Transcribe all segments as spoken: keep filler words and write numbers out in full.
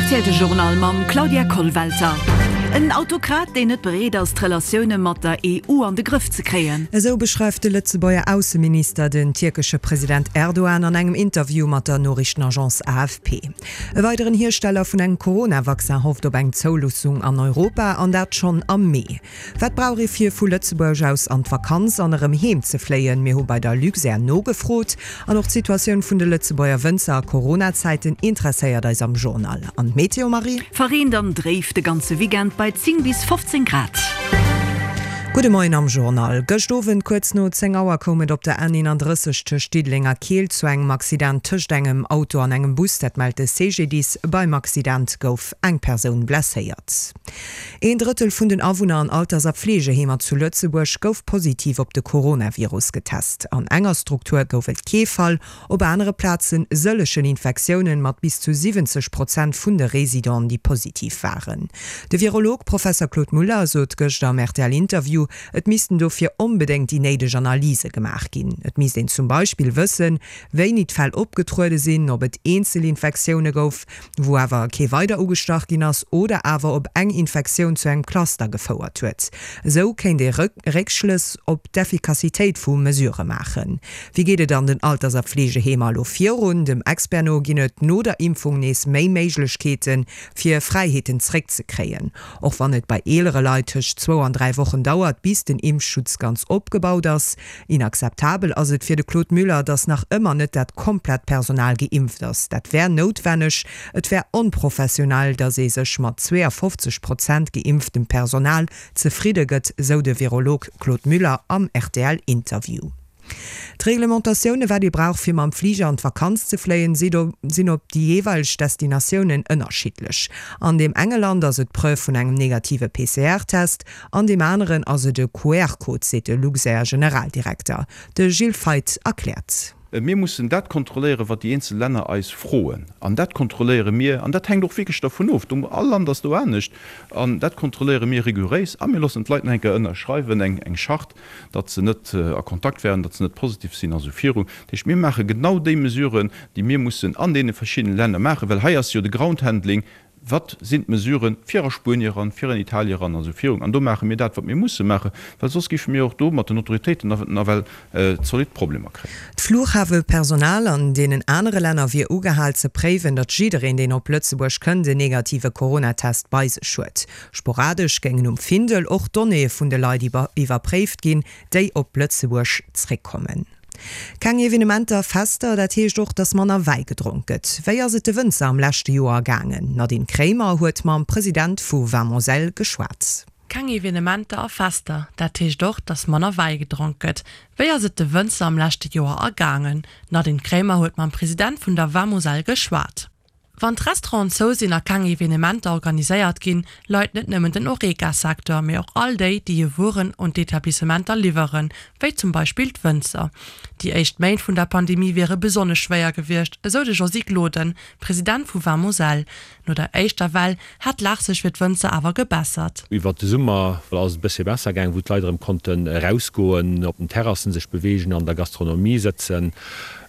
R T L Journal mam Claudia Kollwelter. En Autokrat, deen net bereet ass, d'Relatioune mat der E U an de Grëff ze kréien. Esou beschreift de Lëtzebuerger Ausseminister den tierkesche President Erdogan an engem Interview mat der Noriichtenagence A F P. E weideren Hiersteller vun engem Corona-Vaccin hofft op eng Zouloossung an Europa, an dat schonn am Mee. Wat brauch ee fir vu Lëtzebuerg aus an d'Vakanz an erëm heem ze fléien? Mir hu bei der Luxair nogefrot. An och d'Situatioun vun de Lëtzebuerger Wënzer a Corona-Zäiten interesséiert eis am Journal. An d'Meteo, Marie? Verreent an dréif de ganze Weekend bei zéng bis fofzéng Grad. Gudde Moien am Journal. Gëscht Owend kuerz no zéng Auer koum et op der N eenandrësseg tëscht Diddeleng a Keel zu engem Accident tëscht engem Auto an engem Bus, dat mellt de C G D I S. Beim Accident gouf eng Persoun blesséiert. Een Drëttel vun den Awunner an Alters a Fleegeheemer zu Lëtzebuerg gouf positiv op de Coronavirus getest. An enger Struktur gouf et kee Fall, op anere Plazen sëllegen Infektiounen mat bis zu siwwenzeg Prozent vun de Residenten, déi positiv waren. De Virolog Professer Claude Muller sot gëschter am R T L-Interview, et missten dofir onbedéngt déi néideg Analyse gemaach ginn. Et misst een zum Beispill wëssen, wéini d'Fäll opgetruede sinn, ob et Eenzelinfektioune gouf, wou awer kee weider ugestach ginn ass, oder awer ob eng Infektioun zu engem Cluster gefouert huet. Esou kéint ee Réckschlëss op d'Effikassitéit vu Mesurë maachen. Wéi geet et an den Alters a Fleegeheemer elo virun? Dem Expert no ginn et no der Impfung nees méi Méiglechkeeten, fir Fräiheeten zréckzekréien. Och wann et bei eelere Leit tëscht zwou an dräi Wochen dauert, bis den Impfschutz ganz opgebaut ass. Inakzeptabel ass et fir de Claude Muller, datt nach ëmmer net dat komplett Personal geimpft ass. Dat wär noutwenneg. Et wär onprofessionell, datt ee sech mat zweeafofzeg Prozent geimpftem Personal zefridde gëtt, sou de Virolog Claude Muller am R T L-Interview. D'Reglementatioune wat ee brauch fir mam Fliger an d'Vakanz ze fléien, sinn op déi jeeweileg Destinatiounen ënnerschiddlech. An deem enge Land ass et d'Preuve vun engem negative P C R-Test, an deem aneren ass et e Q R-Code, seet de Luxair-Generaldirekter. De Gilles Feith erkläert. Mir mussen dat kontrolléieren, wat déi eenzel Länner eis froen. An dat kontrolléiere mir, an dat hänkt och wierklech dervun of, all Land ass do anescht, an dat kontrolléiere mir rigouréis a mir loossen d'Leit nach eng Kéier ënnerschreiwen, eng eng Charte, datt se net a Kontakt waren, datt se net positiv sinn a sou virun. Dat heescht, mir maache genau déi Mesuren, déi mir mussen an deene verschiddene Länner maachen, well hei ass jo de Groundhandling, wat sinn d'Mesuren fir a Spuenie eran, fir an Italien eran a sou virun. An do maache mir dat, wat mir musse maachen, well soss géife mir och do mat den Autoritéiten nawell zolidd Problemer kréien. D'Fluchhafepersonal an deenen anere Länner wier ugehal ze préiwen, datt jiddereen, deen op Lëtzebuerg kënnt, en negative Coronatest bei sech huet. Sporadesch géingen um Findel och Donnéeë vun de Leit iwwerpréift ginn, déi op Lëtzebuerg zréckkommen. Keng Evenementer, Fester, dat heescht och, datt manner Wäi gedronk gëtt. Wéi ass et de Wënzer am leschte Joer gaangen? Nadine Kremer huet mam President vu Vin Moselle geschwat. Keng Evenementer a Fester, dat heescht och, datt manner Wäi gedronk gëtt. Wéi ass et de Wënzer am leschte Joer ergaangen? Nadine Kremer huet mam President vun der Vin Moselle geschwat. Wann d'Restauranten zou sinn a keng Evenementer organiséiert ginn, leit net nëmmen den Horeca-Secteur, mee och all déi, déi hir Wueren un d'Etablissementer liwweren, wéi zum Beispill d'Wënzer. Déi éischt Méint vun der Pandemie wiere besonnesch schwéier gewiescht, esou de Josy Gloden, President vu Vin Moselle. No der éischter Well hätt d'Lag sech fir d'Wënzer awer gebessert. Iwwer de Summer ass et e bësse besser gaangen, wou d'Leit erëm konnten erausgoen, op den Terrassen sech beweegen, an der Gastronomie sëtzen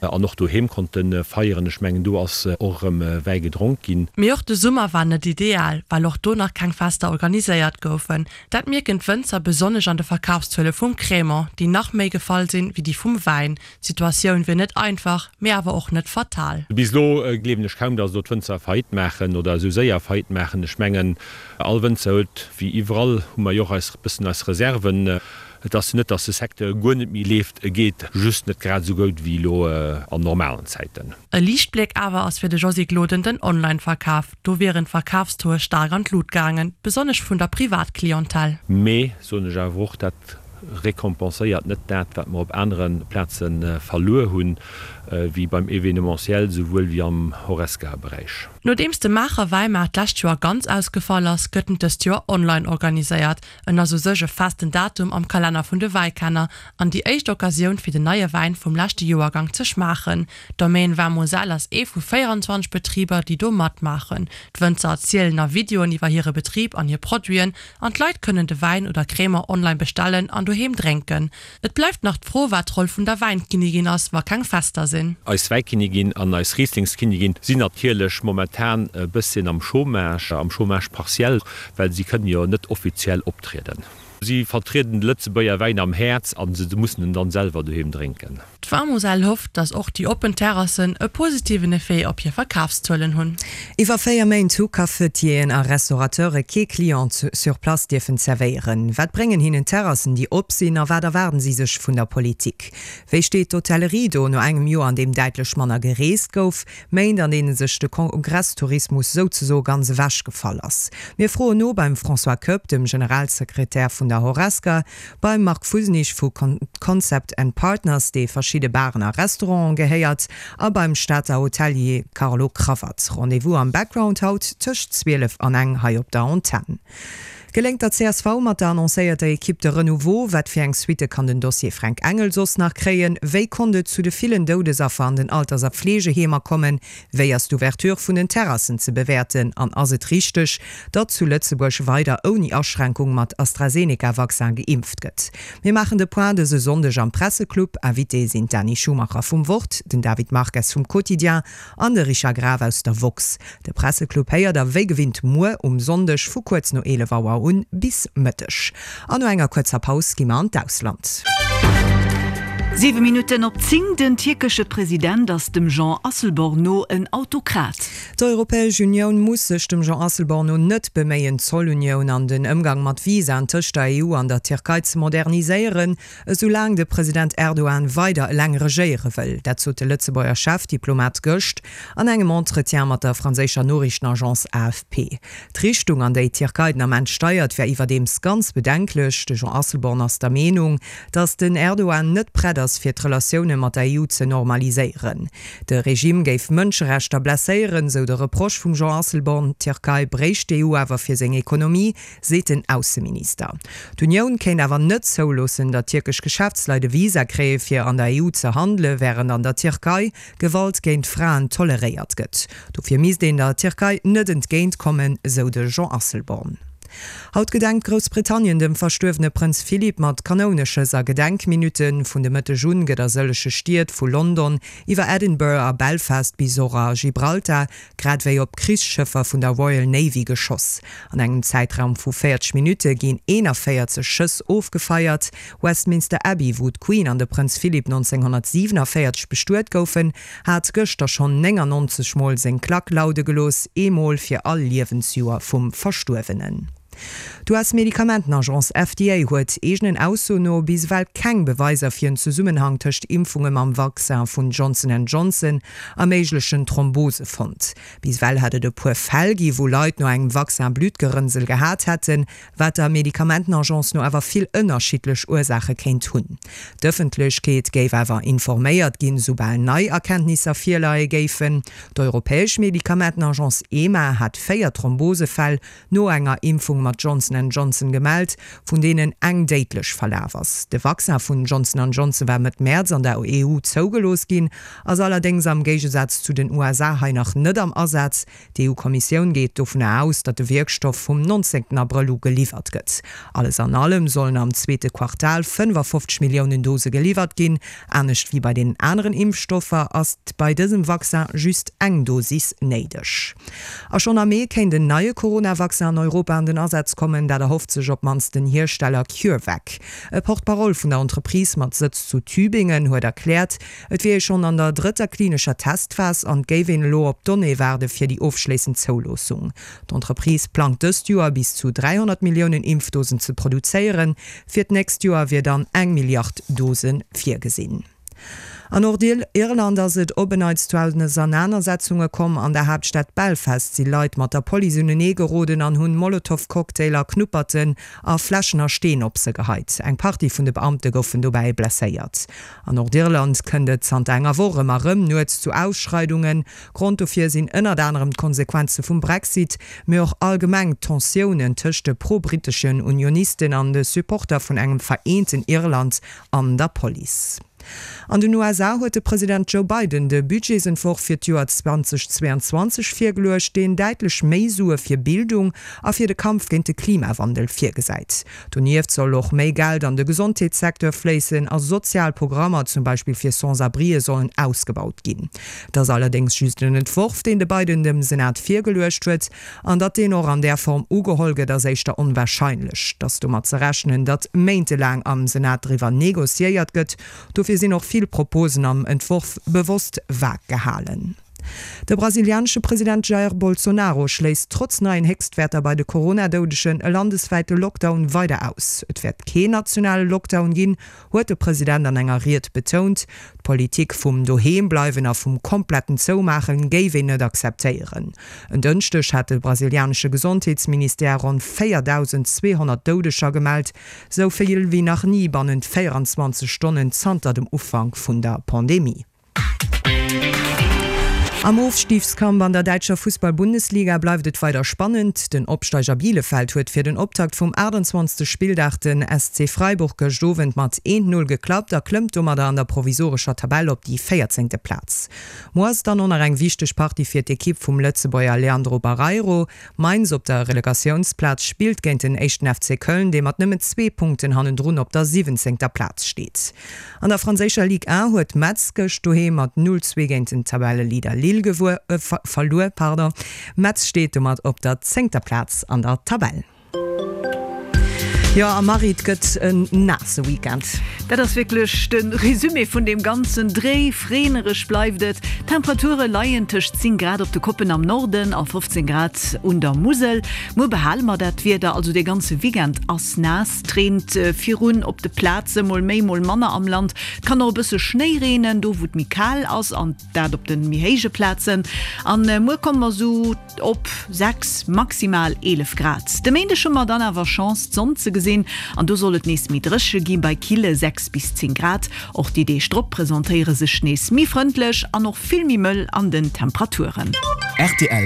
an och doheem konnte feieren. Ech mengen, do ass och erëm Wäi gedronk ginn. Mee och de Summer war net ideal, well och do nach keng Fester organiséiert goufen. Dat mierken d'Wënzer besonnesch an de Verkafszuele vum Crémant, déi nach méi gefall sinn wéi déi vum Wäin. D'Situatioun wier net einfach, mee awer och net fatal. Bis elo gleewen ech kaum, datt do d'Wënzer Faillite maachen oder esou séier Faillite maachen. Ech mengen, all Wënzer huet, wéi iwwerall hu mer jo och eis bëssen eis Reserven. Et ass net, datt de Secteur guer net méi leeft, e geet just net grad esou gutt wéi elo an normalen Zäiten. E Liichtbléck awer ass fir de Josy Gloden den Online-Verkaf. Do wieren d'Verkafszuele staark an d'Lut gaangen, besonnesch vun der Privatclientèle. Mee soen ech awer och, dat rekompenséiert net dat, wat mer op anere Plaze verluer hunn, wéi beim Evenementiel souwuel wéi am Horesca-Beräich. Nodeems de Maacher Wäimaart d'lescht Joer ganz ausgefall ass, gëtt en dëst Joer online organiséiert. En ass u sech e festen Datum am Kalenner vun de Wäikenner an déi éischt Occasioun fir den neie Wäin vum leschte Joergang ze schmaachen. D'Domaine Vin Moselle ass ee vu véierenzwanzeg Betriber, déi do matmaachen. D'Wënzer erzielen a Videoen iwwer hire Betrib an hir Produiten an d'Leit kënnen de Wäin oder Crémant online bestellen an doheem drénken. Et bleift nach d'Fro, wat d'Roll vun der Wäinkinnigin ass, wa keng Fester sinn. Eis Wäikinnigin an eis Rieslingskinnigin sinn natierlech momentan e bësschen am Chômage, am Chômage partiel, well si kënnen jo net offiziell optrieden. Si vertrieden de Lëtzebuerger Wäin am Häerz a se mussen en dann selwer doheem drénken. D'Vamosell hofft, datt och déi oppen Terrassen e positiven Effet op hir Verkafszuelen hunn. Iwwer véier Méint hu Cafetieren a Restaurateure kee Client sur place dierfen zerwéieren. Wat bréngen hinnen Terrassen, déi op sinn a wat erwaarden si sech vun der Politik? Wéi steet d'Hotellerie do no engem Joer, an deem däitlech manner gereest gouf, Méint an deene sech de Kongresstourismus souzesoe ganz ewechgefall ass? Mir froen no beim François Koepp, dem Generalsekretär vun der Horesca, beim Marc Fusenich vu Concept and Partners, dee verschidde Baren a Restauranten gehéiert, a beim Stater Hotelier Carlo Cravat. Rendez-vous am Background haut tëscht zwielef an eng hei op der Antenn. Geléngt der C S V mat der annoncéierter Ekipp de Renouveau? Wat fir eng Suitte kann den Dossier Fränk Engel soss nach kréien? Wéi konnt et zu de villen Doudesaffer an den Alters a Fleegeheemer kommen? Wéi ass d'Ouverture vun den Terrassen ze bewäerten? An ass et richteg, datt zu Lëtzebuerg weider ouni Aschränkung mat AstraZeneca-Vaccin geimpft gëtt? Mir maachen de Point dëse Sonndeg am Presseclub. Invitée sinn d'Dany Schumacher vum Wort, den David Marques vum Quotidien an de Richard Graf aus der Woxx. De Presseclub héiert der wéi gewinnt muer um Sonndeg vu kuerz no eelef Auer un bis Mëtteg. An no enger kuerzer Paus gi mer an d'Ausland. Siwe Minutten op zéng, Den tierkesche President ass dem Jean Asselborn no en Autokrat. D'Europäesch Unioun muss sech dem Jean Asselborn no net beméien, d'Zollunioun an den Ëmgang mat Visaen tëscht der E U an der Tierkei ze moderniséieren, esou laang de President Erdogan weider eleng regéiere wëll. Dat sot de Lëtzebuerger Chefdiplomat gëscht an engem Entretien mat der franséischer Noriichtenagence A F P. D'Richtung, an déi d'Tierkei den Ament steiert, wär iwwerdeems ganz bedenklech. De Jean Asselborn ass der Meenung, datt den Erdogan net prett ass, fir d'Relatioune mat der E U ze normaliséieren. De Regime géif Mënscherechter blesséieren, sou de Reproche vum Jean Asselborn. D'Tierkei bréicht d'E U awer fir seng Ekonomie, seet den Ausseminister. D'Unioun kéint awer net zouloossen, datt tierkesch Geschäftsleit e Visa kréie fir an der E U ze handelen, wärend an der Tierkei Gewalt géint Fraen toleréiert gëtt. Dofir misst een der Tierkei net entgéint kommen, sou de Jean Asselborn. Haut gedenkt Groussbritannien dem verstuerwene Prënz Philip mat Kanouneschëss a Gedenkminutten. Vun de Mëtteg un gëtt a sëllege Stied vu London iwwer Edinburgh a Belfast bis och a Gibraltar, grad wéi op Krichsschëffer vun der Royal Navy geschoss. An engem Zäitraum vu véierzeg Minutte ginn eenanvéierzeg Schëss ofgefeiert. Westminster Abbey, wou d'Queen an de Prënz Philip nonzénghonnertsiwenavéierzeg bestuet goufen, hat gëschter schonn néngannonzeg Mol seng Klack laude gelooss, eemol fir all Liewensjoer vum Verstuerwenen. D'U S-Medikamentenagence F D A huet eegenen Aussoen no bis ewell keng Beweiser fir en Zesummenhang tëscht Impfunge mam Vaccin vun Johnson and Johnson a méiglechen Thrombose fonnt. Bis ewell hätt et e puer Fäll gi wou Leit no engem Vaccin Bluttgerënnsel gehat hätten, wat der Medikamentenagence no awer vill ënnerschiddlech Ursaache kéint hunn. D'Ëffentlechkeet géif awer informéiert ginn, soubal nei Erkenntnisser virleie géifen. D'Europäesch Medikamentenagence EMA hat véier Thrombosefäll no enger Impfung mat Johnson and Johnson gemellt, vun deenen eng déidlech verlaf ass. De Vaccin vun Johnson and Johnson war Mëtt Mäerz an der E U zougelooss ginn, ass allerdéngs am Géigesaz zu den U S A hei nach net am Asaz. D'E U-Kommissioun geet dovunner aus, datt de Wierkstoff vum nonzéngten Abrëll u geliwwert gëtt. Alles an allem sollen am zweete Quartal fënnefafofzeg Milliounen Dose geliwwert ginn. Anescht wéi bei den aneren Impfstoffer ass bei dësem Vaccin just eng Dosis néideg. A schonn am Mee kéint en neie Corona-Vaccin an Europa an den Asaz kommen, dat erhofft sech op d'mannst den Hiersteller CureVac. E Porte-parole vun der Entreprise mat Sëtz zu Tübingen huet erkläert, et wier ee schonn an der drëtter klinescher Testphas an et géif een elo op d'Donnéeë waarde fir déi ofschléissend Zouloossung. D'Entreprise plangt dëst Joer bis zu dräihonnert Milliounen Impfdosen ze produzéieren, fir d'nächst Joer wier dann eng Milliard Dose virgesinn. An Nordirland ass et op en Neits zu Ausenanersetzunge komm. An der Haaptstad Belfast si Leit mat der Police unenee geroden an hunn Molotow-Cocktailer, Knupperten a Fläschen a Steen op se geheit. Eng Partie vun de Beamte goufen dobäi blesséiert. An Nordirland kënnt et zanter enger Woch ëmmer erëm nuets zu Ausschreidungen. Grond dofir sinn ënnert anerem d'Konsequenze vum Brexit, mee och allgemeng d'Tensiounen tëscht de pro-britteschen Unionisten an de Supporter vun engem vereenten Irland an der Police. An den U S A huet de President Joe Biden de Budgetsentworf fir d'Joer zweedausendzweianzwanzeg virgeluecht, deen däitlech méi Sue fir Bildung a fir de Kampf géint de Klimawandel virgesäit. Donieft soll och méi Geld an de Gesondheetssecteur fléissen a sozial Programmer, zum Beispill fir Sans-abrien, sollen ausgebaut ginn. Et ass allerdéngs just en Entworf, deen de Biden dem Senat virgeluecht huet, an datt deen och an där Form ugeholl gëtt, ass éischter onwarscheinlech. Et ass domat ze rechnen, datt méintelaang am Senat driwwer negociéiert gëtt. Dofir sinn och vill Proposen am Entworf bewosst vag gehalen. De brasilianesche President Jair Bolsonaro schléisst trotz neien Héchstwäerter bei de Corona-Doudegen e landeswäite Lockdown weider aus. Et wäert keen nationale Lockdown ginn, huet de President an enger Ried betount. D'Politik vum Doheembleiwen a vum kompletten Zoumaachen géif een net akzeptéieren. En Dënschdeg hat de brasilianesche Gesondheetsministère ronn véierdausendzweehonnert Doudeger gemellt, sou vill wéi nach ni bannent véierenzwanzeg Stonnen zanter dem Ufank vun der Pandemie. Am Ofstigskampf an der däitscher Fussball-Bundesliga bleift et weider spannend. Den Opsteiger Bielefeld huet fir den Optakt vum aachtanzwanzegste Spilldag den S C Freiburg gëscht Owend mat eent, Null geklappt a klëmmt domadder an der provisorescher Tabell op déi véierzéngte Plaz. Muer ass dann och nach eng wichteg Partie fir d'Ekipp vum Lëtzebuerger Leandro Barreiro. Mainz op der Relegatiounsplaz spillt géint den éischten F C Köln, dee mat nëmmen zwee Punkten hannendrun op der siwwenzéngter Plaz steet. An der franséischer Ligue un huet Metz gëscht doheem mat null, zwee géint den Tabelleleader Lille gewuer, äh, verluer. Pardon. Metz steet domat op der zéngter Plaz an der Tabell. Jo, a Marie, et gëtt en naasse Weekend. Dat ass wierklech de Resumé vun deem ganzen Dréif. Reenereg bleift et. D'Temperature leien tëscht zéng Grad op de Koppen am Norden a fofzéng Grad un der Musel. Muer behale mer dat Wieder, also de ganze Weekend ass naass. Et reent virun op de Plaze mol méi, mol manner am Land. Et kann och e bësse Schnéi reenen, do wou et méi kal ass, an dat op de méi héije Plazen. An muer komme mer sou op sechs, maximal eelef Grad. De Méindeg hu mer dann awer Chance, d'Sonn ze gesinn an do soll et nees méi dréche gi bei kille sechs bis zéng Grad. Och déi Deeg drop presentéiere sech nees méi frëndlech an och vill méi mëll an den Temperaturen. Rtl.